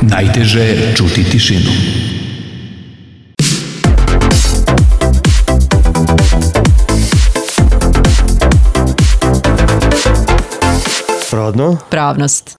Najteže je čuti tišinu. Rodno? Pravnost.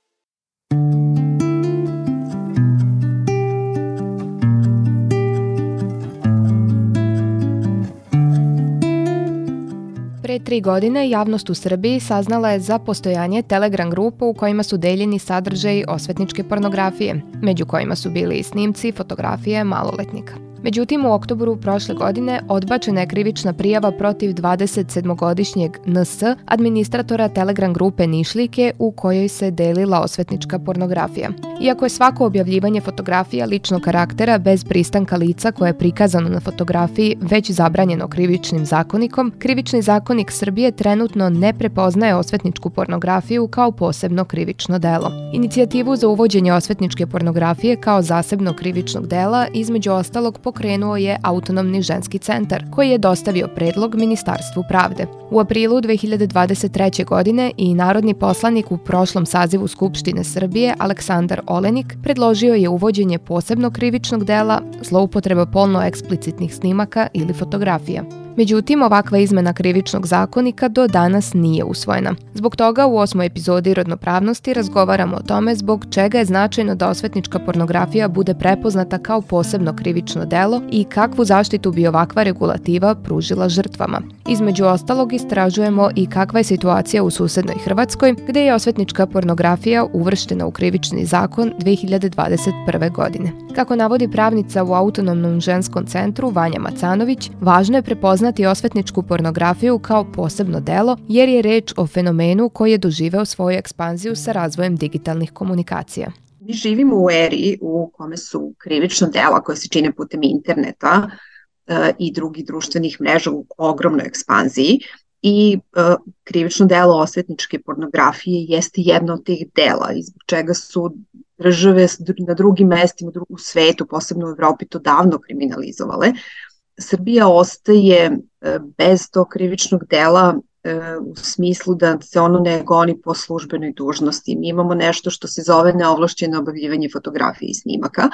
Pre 3 godine javnost u Srbiji saznala je za postojanje Telegram grupa u kojima su deljeni sadržaji osvetničke pornografije, među kojima su bili i snimci i fotografije maloletnika. Međutim, u oktobru prošle godine odbačena je krivična prijava protiv 27-godišnjeg NS, administratora Telegram grupe Nišlijke, u kojoj se delila osvetnička pornografija. Iako je svako objavljivanje fotografija ličnog karaktera bez pristanka lica koje je prikazano na fotografiji već zabranjeno krivičnim zakonikom, Krivični zakonik Srbije trenutno ne prepoznaje osvetničku pornografiju kao posebno krivično delo. Inicijativu za uvođenje osvetničke pornografije kao zasebnog krivičnog dela između ostalog pokrenuo je Autonomni ženski centar, koji je dostavio predlog Ministarstvu pravde. U aprilu 2023. godine i narodni poslanik u prošlom sazivu Skupštine Srbije Aleksandar Olenik predložio je uvođenje posebnog krivičnog dela zloupotreba polno eksplicitnih snimaka ili fotografija. Međutim, ovakva izmena krivičnog zakonika do danas nije usvojena. Zbog toga u 8. epizodi Rodnopravnosti razgovaramo o tome zbog čega je značajno da osvetnička pornografija bude prepoznata kao posebno krivično delo i kakvu zaštitu bi ovakva regulativa pružila žrtvama. Između ostalog istražujemo i kakva je situacija u susednoj Hrvatskoj, gde je osvetnička pornografija uvrštena u krivični zakon 2021. godine. Kako navodi pravnica u Autonomnom ženskom centru Vanja Macanović, važno je prepoznati osvetničku pornografiju kao posebno delo jer je reč o fenomenu koji je doživeo svoju ekspanziju sa razvojem digitalnih komunikacija. Mi živimo u eri u kome su krivična dela koje se čine putem interneta i drugih društvenih mreža u ogromnoj ekspanziji i krivično delo osvetničke pornografije jeste jedno od tih dela i zbog čega su države na drugim mestima u svetu, posebno u Evropi, to davno kriminalizovale. Srbija ostaje bez tog krivičnog dela u smislu da se ono ne goni po službenoj dužnosti. Mi imamo nešto što se zove neovlašćeno objavljivanje fotografije i snimaka,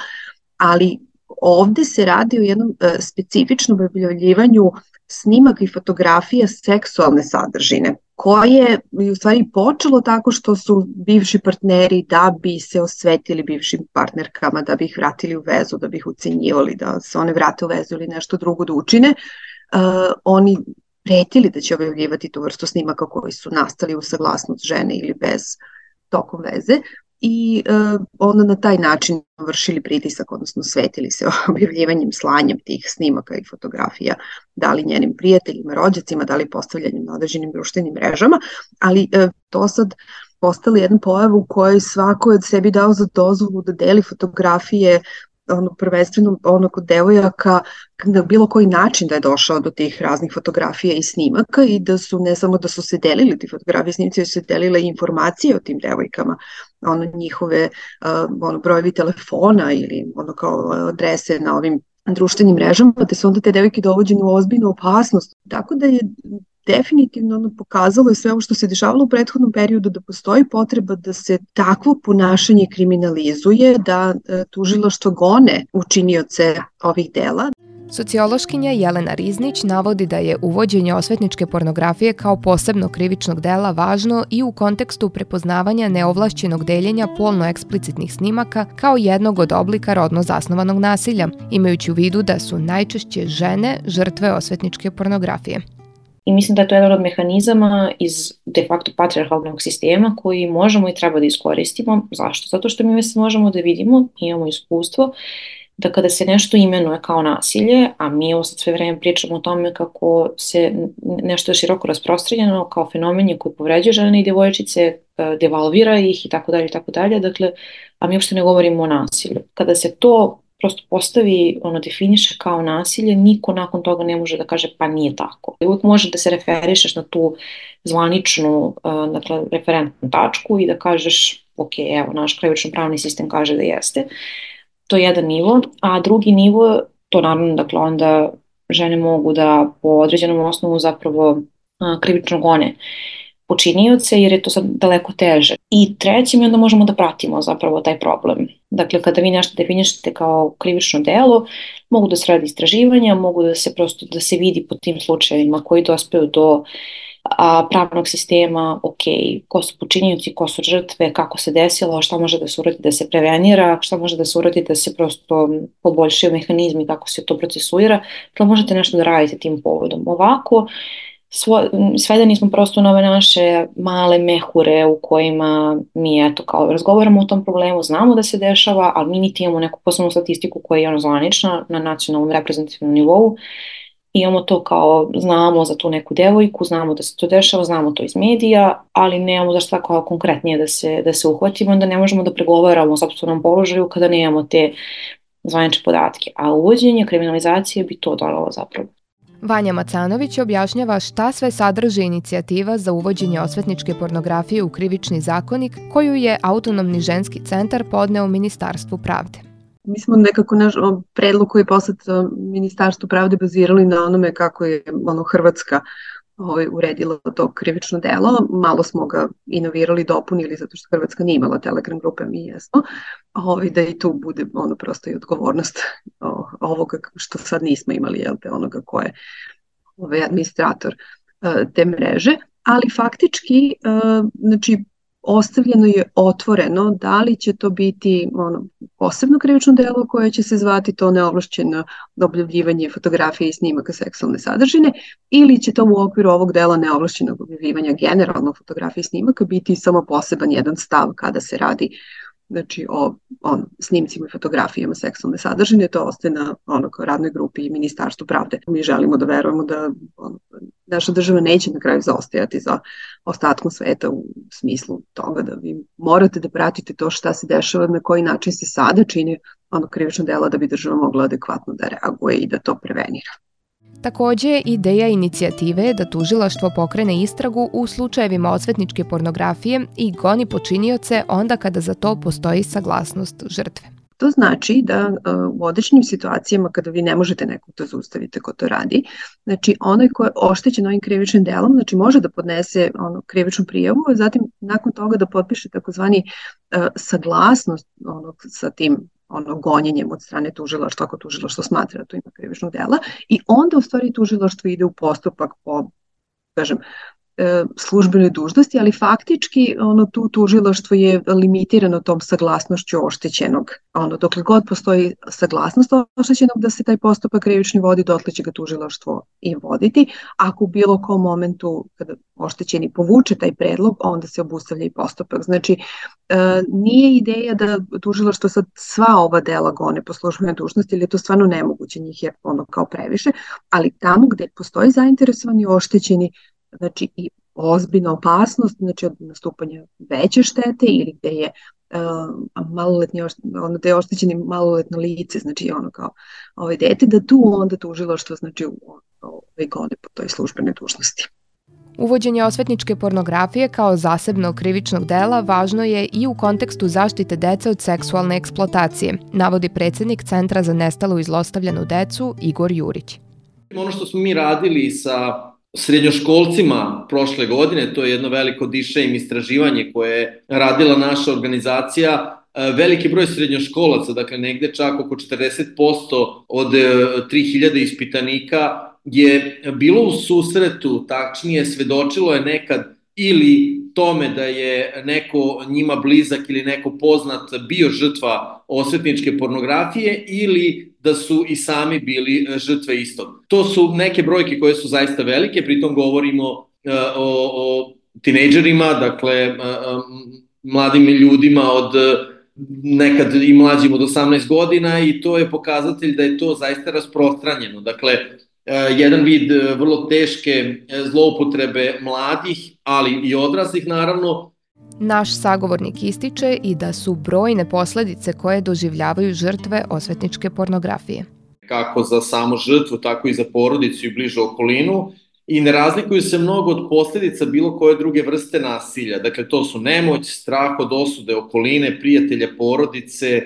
ali ovde se radi o jednom specifičnom objavljivanju snimaka i fotografija seksualne sadržine, koje je u stvari počelo tako što su bivši partneri da bi se osvetili bivšim partnerkama, da bi ih vratili u vezu, da bi ih ucenjivali, da se one vrate u vezu ili nešto drugo da učine. Oni pretili da će objavljivati tu vrstu snimaka koji su nastali u saglasnost žene ili bez tokom veze i onda na taj način vršili pritisak, odnosno svetili se objavljivanjem, slanjem tih snimaka i fotografija, da li njenim prijateljima, rođacima, da li postavljanjem na određenim društvenim mrežama, ali to sad postala jedna pojava u kojoj svako je sebi dao za dozvolu da deli fotografije prvenstveno kod devojaka na bilo koji način da je došao do tih raznih fotografija i snimaka i da su ne samo da su se delili ti fotografije i snimci, već su se delile informacije o tim devojkama, njihove brojevi telefona ili kao adrese na ovim društvenim mrežama, te su onda te devojke dovođene u ozbiljnu opasnost. Tako da je definitivno pokazalo je sve ovo što se dešavalo u prethodnom periodu da postoji potreba da se takvo ponašanje kriminalizuje, da tužilaštvo gone učinioce ovih dela. Sociološkinja Jelena Riznić navodi da je uvođenje osvetničke pornografije kao posebno krivičnog dela važno i u kontekstu prepoznavanja neovlašćenog deljenja polno eksplicitnih snimaka kao jednog od oblika rodno zasnovanog nasilja, imajući u vidu da su najčešće žene žrtve osvetničke pornografije. I mislim da je to jedan od mehanizama iz de facto patrijarhalnog sistema koji možemo i treba da iskoristimo. Zašto? Zato što mi možemo da vidimo, imamo iskustvo, da kada se nešto imenuje kao nasilje, a mi ovo sad sve vreme pričamo o tome kako se nešto je široko rasprostranjeno kao fenomen koji povređuje žene i devojčice, devalvira ih i tako dalje, dakle, a mi uopšte ne govorimo o nasilju. Kada se to prosto postavi, definiše kao nasilje, niko nakon toga ne može da kaže pa nije tako. Uvijek može da se referišeš na tu zvaničnu, dakle, referentnu tačku i da kažeš ok, evo, naš krivično pravni sistem kaže da jeste. To je jedan nivo, a drugi nivo, to naravno, dakle, onda žene mogu da po određenom osnovu zapravo krivično gone počinioce jer je to sad daleko teže. I treće, mi onda možemo da pratimo zapravo taj problem. Dakle, kada vi nešto definišete kao krivično delo, mogu da se radi istraživanja, mogu da se prosto da se vidi po tim slučajevima koji dospeju do pravnog sistema, ok, ko su počinioci, ko su žrtve, kako se desilo, šta može da se uradi da se prevenira, šta može da se uradi da se prosto poboljšaju mehanizmi kako se to procesuira, to možete nešto da radite tim povodom. Ovako, svedeni smo prosto na ove naše male mehure u kojima mi eto kao razgovaramo o tom problemu, znamo da se dešava, ali mi niti imamo neku posebnu statistiku koja je zvanična na nacionalnom reprezentativnom nivou. Imamo to kao, znamo za tu neku devojku, znamo da se to dešava, znamo to iz medija, ali nemamo zašto tako konkretnije da se uhvatimo, onda ne možemo da pregovaramo o sopstvenom položaju kada nemamo te zvanične podatke. A uvođenje kriminalizacije bi to donalo zapravo. Vanja Macanović objašnjava šta sve sadrži inicijativa za uvođenje osvetničke pornografije u krivični zakonik koju je Autonomni ženski centar podneo Ministarstvu pravde. Mi smo nekako naš predlog koji je poslat Ministarstvu pravde bazirali na onome kako je Hrvatska uredila to krivično delo. Malo smo ga inovirali, dopunili zato što Hrvatska nije imala Telegram grupe, mi jesmo. Da i tu bude prosto i odgovornost ovoga što sad nismo imali, onoga ko je administrator te mreže. Ali faktički, znači, ostavljeno je otvoreno da li će to biti posebno krivično delo koje će se zvati to neovlašćeno objavljivanje fotografije i snimaka seksualne sadržine ili će to u okviru ovog dela neovlašćenog objavljivanja generalno fotografije i snimaka biti samo poseban jedan stav kada se radi znači o snimcima i fotografijama seksualne sadržine. To ostaje na radnoj grupi i Ministarstvu pravde. Mi želimo da verujemo da naša država neće na kraju zaostajati za ostatkom sveta u smislu toga da vi morate da pratite to šta se dešava, na koji način se sada čini krivično delo da bi država mogla adekvatno da reaguje i da to prevenira. Takođe, ideja inicijative je da tužilaštvo pokrene istragu u slučajevima osvetničke pornografije i goni počinioce onda kada za to postoji saglasnost žrtve. To znači da u određenim situacijama kada vi ne možete nekog da zaustavite ko to radi, znači onaj ko je oštećen ovim krivičnim delom, znači može da podnese krivičnu prijavu, a zatim nakon toga da potpiše takozvani saglasnost sa tim gonjenjem od strane tužilaštva, ako tužilaštvo smatra da to ima krivičnog dela, i onda u stvari tužilaštvo ide u postupak po, kažem, službenoj dužnosti, ali faktički tu tužilaštvo je limitirano tom saglasnošću oštećenog. Dokle god postoji saglasnost oštećenog da se taj postupak krivični vodi, dotle će ga tužilaštvo i voditi. Ako u bilo kom momentu kada oštećeni povuče taj predlog, onda se obustavlja i postupak. Znači, nije ideja da tužilaštvo sad sva ova dela gone po službenoj dužnosti, ili je to stvarno nemoguće, njih je kao previše, ali tamo gde postoji zainteresovani oštećeni, znači i ozbiljna opasnost, znači od nastupanja veće štete ili gde je gde je oštećeni maloletno lice, znači kao dete, da tu onda tužilaštvo znači gone po toj službenoj dužnosti. Uvođenje osvetničke pornografije kao zasebnog krivičnog dela važno je i u kontekstu zaštite dece od seksualne eksploatacije, navodi predsednik Centra za nestalu i zlostavljanu decu Igor Jurić. Ono što smo mi radili sa srednjoškolcima prošle godine, to je jedno veliko dišejm istraživanje koje je radila naša organizacija, veliki broj srednjoškolaca, dakle negde čak oko 40% od 3000 ispitanika je bilo u susretu, tačnije svedočilo je nekad ili tome da je neko njima blizak ili neko poznat bio žrtva osvetničke pornografije ili da su i sami bili žrtve istog. To su neke brojke koje su zaista velike, pritom govorimo o tinejdžerima, dakle mladim ljudima od nekad i mlađim od 18 godina, i to je pokazatelj da je to zaista rasprostranjeno. Dakle, jedan vid vrlo teške zloupotrebe mladih, ali i odraslih naravno. Naš sagovornik ističe i da su brojne posledice koje doživljavaju žrtve osvetničke pornografije. Kako za samu žrtvu, tako i za porodicu i bližu okolinu, i ne razlikuju se mnogo od posledica bilo koje druge vrste nasilja. Dakle, to su nemoć, strah od osude okoline, prijatelja, porodice,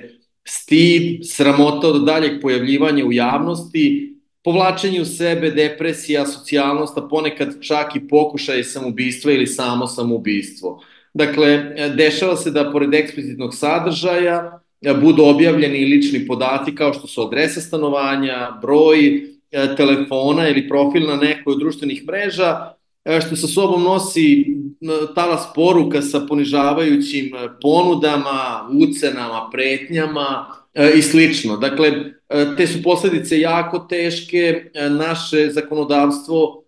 stid, sramota od daljeg pojavljivanja u javnosti, povlačenje u sebe, depresija, asocijalnost, a ponekad čak i pokušaj samoubistva ili samo samoubistvo. Dakle, dešava se da pored eksplicitnog sadržaja budu objavljeni lični podaci kao što su adresa stanovanja, broj telefona ili profil na nekoj od društvenih mreža, što sa sobom nosi talas poruka sa ponižavajućim ponudama, ucenama, pretnjama i slično. Dakle, te su posledice jako teške, naše zakonodavstvo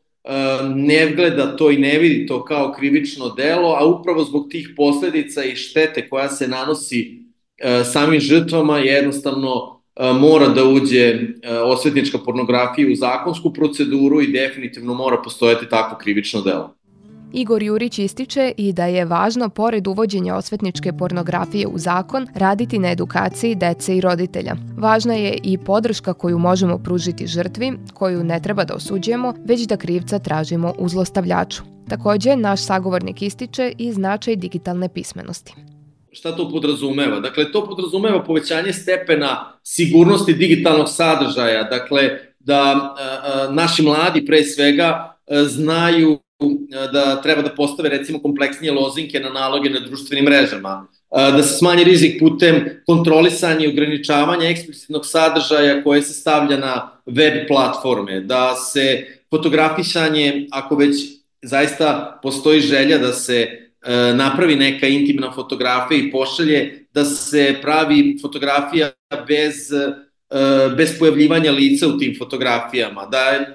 ne gleda to i ne vidi to kao krivično delo, a upravo zbog tih posledica i štete koja se nanosi samim žrtvama jednostavno mora da uđe osvetnička pornografija u zakonsku proceduru i definitivno mora postojati takvo krivično delo. Igor Jurić ističe i da je važno, pored uvođenja osvetničke pornografije u zakon, raditi na edukaciji dece i roditelja. Važna je i podrška koju možemo pružiti žrtvi, koju ne treba da osuđujemo, već da krivca tražimo u zlostavljaču. Takođe, naš sagovornik ističe i značaj digitalne pismenosti. Šta to podrazumeva? Dakle, to podrazumeva povećanje stepena sigurnosti digitalnog sadržaja, dakle, da naši mladi pre svega znaju da treba da postave recimo kompleksnije lozinke na naloge na društvenim mrežama, da se smanji rizik putem kontrolisanja i ograničavanja eksplicitnog sadržaja koje se stavlja na web platforme, da se fotografisanje, ako već zaista postoji želja da se napravi neka intimna fotografija i pošalje, da se pravi fotografija bez pojavljivanja lica u tim fotografijama,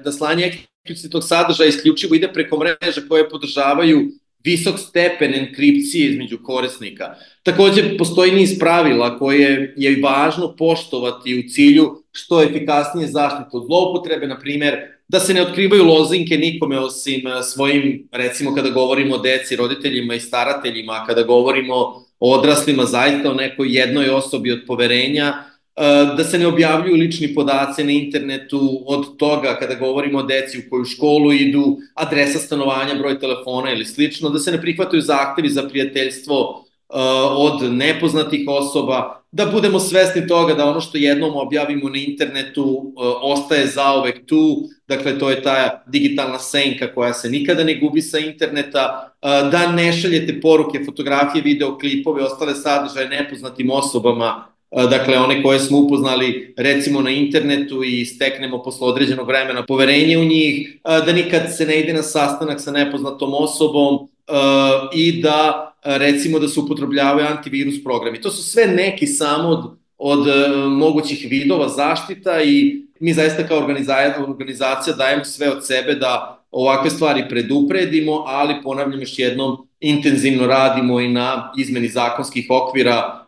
da slanje eksplicitnog sadržaja isključivo ide preko mreža koje podržavaju visok stepen enkripcije između korisnika. Takođe, postoji niz pravila koje je važno poštovati u cilju što efikasnije zaštite od zloupotrebe, na primer, da se ne otkrivaju lozinke nikome osim svojim, recimo kada govorimo o deci, roditeljima i starateljima, kada govorimo o odraslima, zaista o nekoj jednoj osobi od poverenja, da se ne objavljuju lični podaci na internetu od toga kada govorimo o deci u koju školu idu, adresa stanovanja, broj telefona ili slično, da se ne prihvataju zahtevi za prijateljstvo od nepoznatih osoba, da budemo svesni toga da ono što jednom objavimo na internetu ostaje zauvek tu, dakle to je ta digitalna senka koja se nikada ne gubi sa interneta, da ne šaljete poruke, fotografije, videoklipove, ostale sadržaje nepoznatim osobama, dakle one koje smo upoznali recimo na internetu i steknemo posle određenog vremena poverenje u njih, da nikad se ne ide na sastanak sa nepoznatom osobom i da recimo da se upotrebljavaju antivirus programi. To su sve neki samo od mogućih vidova zaštita i mi zaista kao organizacija dajemo sve od sebe da ovakve stvari predupredimo, ali ponavljam još jednom, intenzivno radimo i na izmeni zakonskih okvira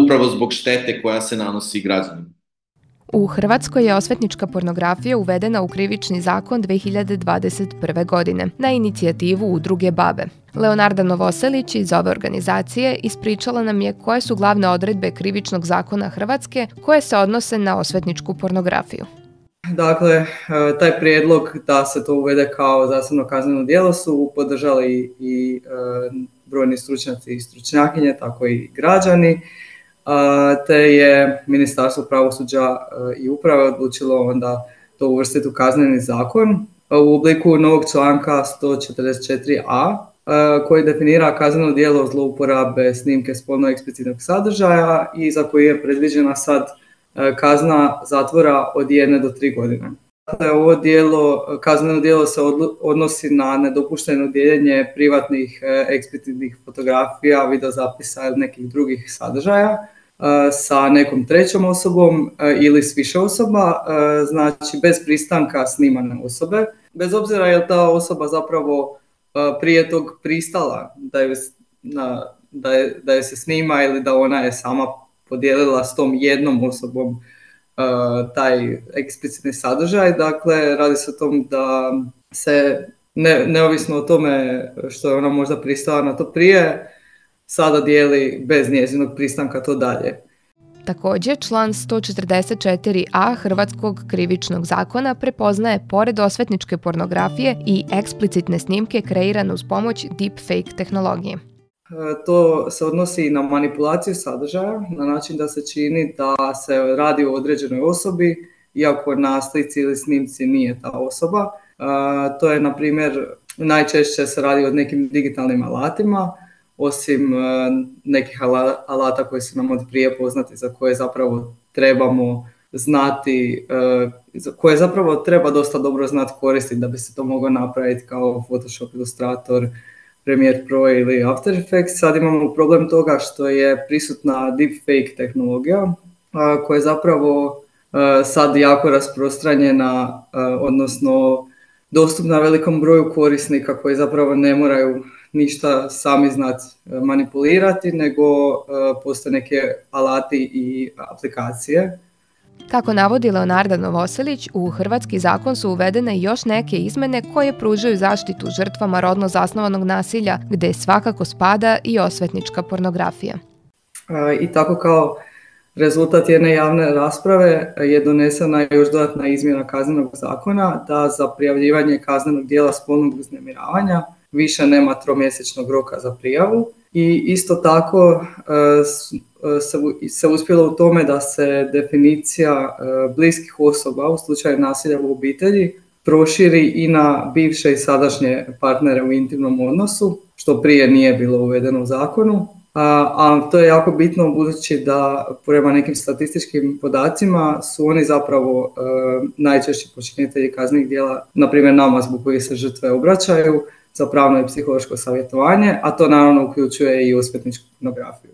upravo zbog štete koja se nanosi građanima. U Hrvatskoj je osvetnička pornografija uvedena u krivični zakon 2021. godine na inicijativu Udruge Babe. Leonarda Novoselić iz ove organizacije ispričala nam je koje su glavne odredbe krivičnog zakona Hrvatske koje se odnose na osvetničku pornografiju. Dakle, taj prijedlog da se to uvede kao zasebno kazneno djelo su podržali i brojni stručnjaci i stručnjakinje, tako i građani, te je Ministarstvo pravosuđa i uprave odlučilo onda to uvrstiti u kazneni zakon u obliku novog članka 144a koji definira kazneno djelo zlouporabe snimke spolno eksplicitnog sadržaja i za koji je predviđena sad kazna zatvora od 1 do 3 godine. Dakle, ovo kazneno djelo se odnosi na nedopušteno dijeljenje privatnih eksplicitnih fotografija, videozapisa ili nekih drugih sadržaja sa nekom trećom osobom ili s više osoba, znači bez pristanka snimane osobe, bez obzira je li ta osoba zapravo prije tog pristala da je se snima ili da ona je sama podijelila s tom jednom osobom taj eksplicitni sadržaj. Dakle, radi se o tom da se neovisno o tome što je ona možda pristala na to prije, sada dijeli bez njezinog pristanka to dalje. Takođe, član 144a Hrvatskog krivičnog zakona prepoznaje pored osvetničke pornografije i eksplicitne snimke kreirane uz pomoć deepfake tehnologije. To se odnosi i na manipulaciju sadržaja na način da se čini da se radi o određenoj osobi iako na slici ili snimci nije ta osoba. To je, na primjer, najčešće se radi o nekim digitalnim alatima, osim nekih alata koji su nam od prije poznati, za koje zapravo trebamo znati, koje zapravo treba dosta dobro znati koristiti da bi se to moglo napraviti, kao Photoshop, Illustrator, Premiere Pro ili After Effects. Sad imamo problem toga što je prisutna deepfake tehnologija, koja je zapravo sad jako rasprostranjena, odnosno dostupna velikom broju korisnika koji zapravo ne moraju ništa sami znati manipulirati, nego postoje neke alati i aplikacije. Kako navodi Leonarda Novoselić, u hrvatski zakon su uvedene još neke izmene koje pružaju zaštitu žrtvama rodno zasnovanog nasilja, gde svakako spada i osvetnička pornografija. I tako kao rezultat jedne javne rasprave je donesena još dodatna izmjena Kaznenog zakona da za prijavljivanje kaznenog djela spolnog uznemiravanja više nema 3-mjesečnog roka za prijavu. I isto tako se uspjelo u tome da se definicija bliskih osoba u slučaju nasilja u obitelji proširi i na bivše i sadašnje partnere u intimnom odnosu, što prije nije bilo uvedeno u zakonu. A to je jako bitno budući da prema nekim statističkim podacima su oni zapravo najčešći počinitelji kaznenih djela, na primjer nama zbog kojih se žrtve obraćaju, za pravno i psihološko savjetovanje, a to naravno uključuje i osvetničku pornografiju.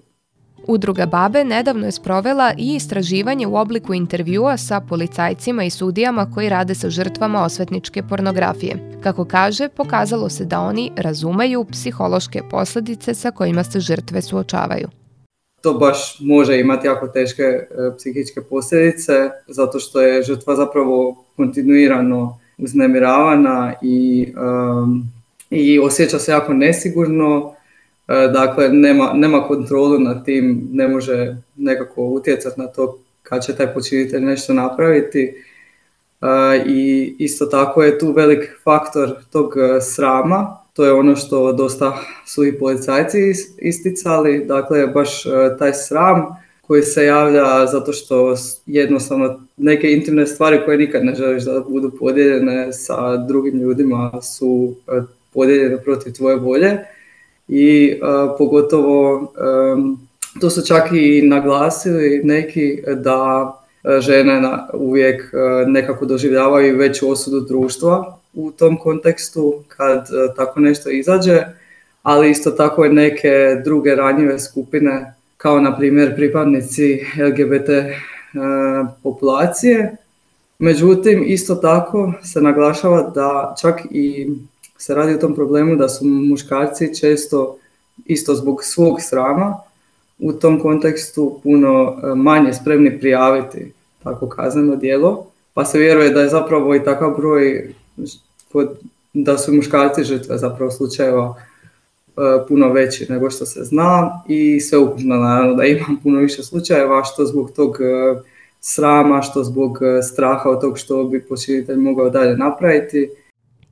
Udruga BaBe nedavno je sprovela i istraživanje u obliku intervjua sa policajcima i sudijama koji rade sa žrtvama osvetničke pornografije. Kako kaže, pokazalo se da oni razumeju psihološke posljedice sa kojima se žrtve suočavaju. To baš može imati jako teške psihičke posljedice, zato što je žrtva zapravo kontinuirano uznemiravana i osjeća se jako nesigurno. Dakle, nema kontrolu nad tim, ne može nekako utjecati na to kad će taj počinitelj nešto napraviti. I isto tako je tu velik faktor tog srama, to je ono što dosta su i policajci isticali, dakle baš taj sram koji se javlja zato što jednostavno neke intimne stvari koje nikad ne želiš da budu podijeljene sa drugim ljudima su podijeljene protiv tvoje volje. I pogotovo to su čak i naglasili neki da žene uvijek nekako doživljavaju veću osudu društva u tom kontekstu kad tako nešto izađe, ali isto tako i neke druge ranjive skupine kao na primjer pripadnici LGBT populacije. Međutim, isto tako se naglašava da čak i se radi o tom problemu da su muškarci često isto zbog svog srama u tom kontekstu puno manje spremni prijaviti tako kazneno djelo, pa se vjeruje da je zapravo i takav broj da su muškarci žrtve zapravo slučajeva puno veći nego što se zna i sveukupno naravno da ima puno više slučajeva što zbog tog srama, što zbog straha od tog što bi počinitelj mogao dalje napraviti.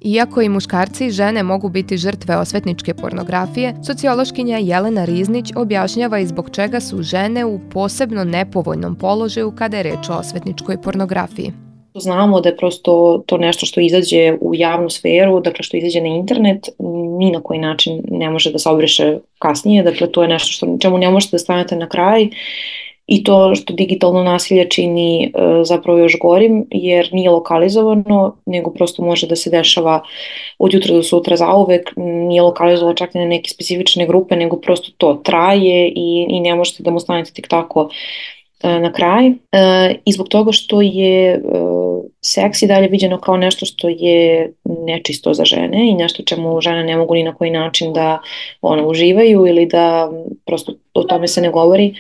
Iako i muškarci i žene mogu biti žrtve osvetničke pornografije, sociološkinja Jelena Riznić objašnjava i zbog čega su žene u posebno nepovoljnom položaju kada je reč o osvetničkoj pornografiji. Znamo da je prosto to nešto što izađe u javnu sferu, dakle što izađe na internet, ni na koji način ne može da se obriše kasnije, dakle to je nešto čemu ne možete da stanete na kraj. I to što digitalno nasilje čini zapravo još gorim, jer nije lokalizovano, nego prosto može da se dešava od jutra do sutra zauvek, nije lokalizovano čak i na neke specifične grupe, nego prosto to traje i ne možete da mu stanete tik tako na kraj. I zbog toga što je seks i dalje viđeno kao nešto što je nečisto za žene i nešto čemu žene ne mogu ni na koji način da uživaju ili da prosto o tome se ne govori.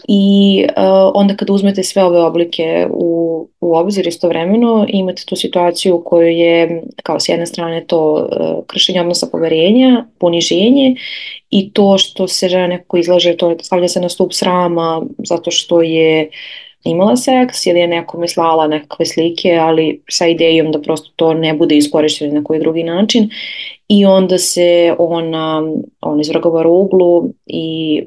I onda kada uzmete sve ove oblike u obzir istovremeno, imate tu situaciju u kojoj je kao s jedne strane to kršenje odnosa poverenja, poniženje i to što se žena nekako izlaže, to stavlja se na stup srama zato što je imala seks ili je nekome slala nekakve slike, ali sa idejom da prosto to ne bude iskorišteno na koji drugi način i onda se on izvrgava ruglu i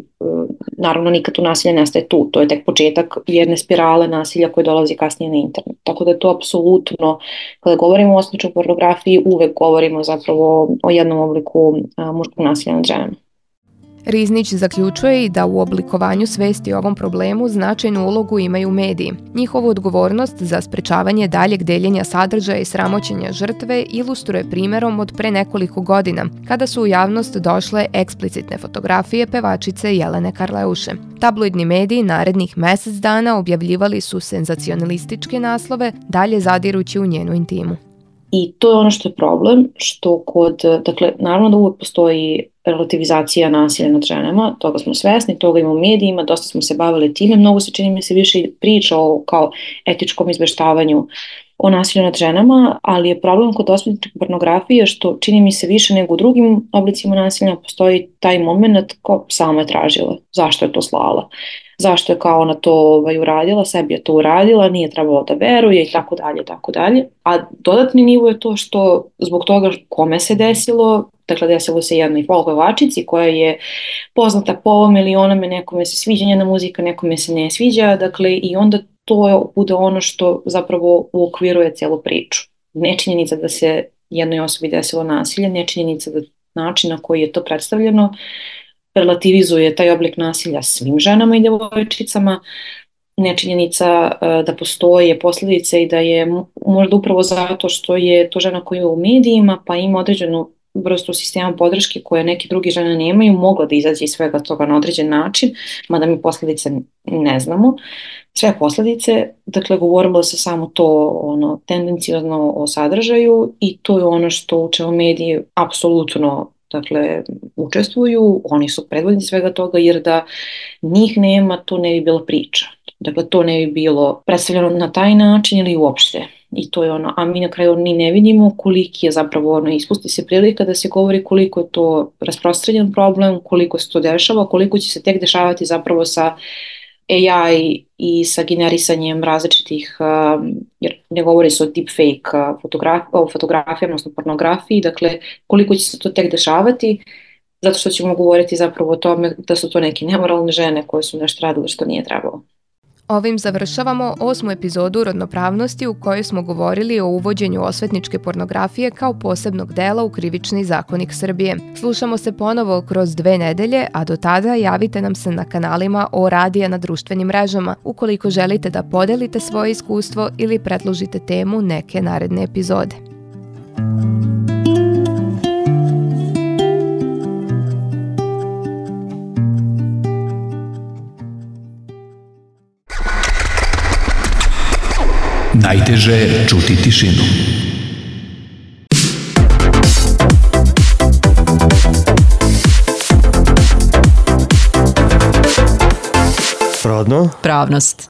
naravno nikad tu nasilje nestaje tu, to je tek početak jedne spirale nasilja koje dolazi kasnije na internet. Tako da je to apsolutno, kada govorimo o osvetničkoj pornografiji, uvek govorimo zapravo o jednom obliku muškog nasilja nad ženama. Riznić zaključuje i da u oblikovanju svesti o ovom problemu značajnu ulogu imaju mediji. Njihovu odgovornost za sprečavanje daljeg deljenja sadržaja i sramoćenja žrtve ilustruje primerom od pre nekoliko godina, kada su u javnost došle eksplicitne fotografije pevačice Jelene Karleuše. Tabloidni mediji narednih mesec dana objavljivali su senzacionalističke naslove, dalje zadirući u njenu intimu. I to je ono što je problem, što dakle, naravno da uvek postoji relativizacija nasilja nad ženama, toga smo svesni, toga ima u medijima, dosta smo se bavili time, mnogo se čini mi se više priča o kao etičkom izveštavanju o nasilju nad ženama, ali je problem kod osvetničke pornografije što čini mi se više nego u drugim oblicima nasilja postoji taj moment kao sama je tražila, zašto je to slala, zašto je kao ona to uradila, sebi je to uradila, nije trebalo da veruje i tako dalje, tako dalje. A dodatni nivo je to što zbog toga kome se desilo, dakle desilo se jednoj folk pevačici koja je poznata po ovom ili onome, nekome se sviđa njena muzika, nekome se ne sviđa, dakle i onda to bude ono što zapravo uokviruje celu priču. Nečinjenica da se jednoj osobi desilo nasilje, nečinjenica da način na koji je to predstavljeno relativizuje taj oblik nasilja svim ženama i devojčicama, nečinjenica da postoje posljedice i da je možda upravo zato što je to žena koja je u medijima pa ima određenu vrstu sistema podrške koje neke druge žene nemaju, mogla da izađe iz svega toga na određen način, mada mi posljedice ne znamo. Sve posljedice, dakle govorilo se samo to tendencijozno o sadržaju i to je ono što u čemu mediji apsolutno učestvuju, oni su predvodnici svega toga jer da njih nema, to ne bi bila priča. Dakle, to ne bi bilo predstavljeno na taj način ili uopšte. I to je a mi na kraju ni ne vidimo koliki je zapravo ispusti se prilika da se govori koliko je to rasprostranjen problem, koliko se to dešava, koliko će se tek dešavati zapravo sa AI i sa generisanjem različitih, jer ne govori se o deepfake fotografijama, odnosno pornografiji, dakle koliko će se to tek dešavati, zato što ćemo govoriti zapravo o tome da su to neke nemoralne žene koje su nešto radile što nije trebalo. Ovim završavamo 8. epizodu Rodnopravnosti u kojoj smo govorili o uvođenju osvetničke pornografije kao posebnog dela u Krivični zakonik Srbije. Slušamo se ponovo kroz 2 nedelje, a do tada javite nam se na kanalima O Radija na društvenim mrežama ukoliko želite da podelite svoje iskustvo ili predložite temu neke naredne epizode. Najteže je čuti tišinu. Rodno. Pravnost.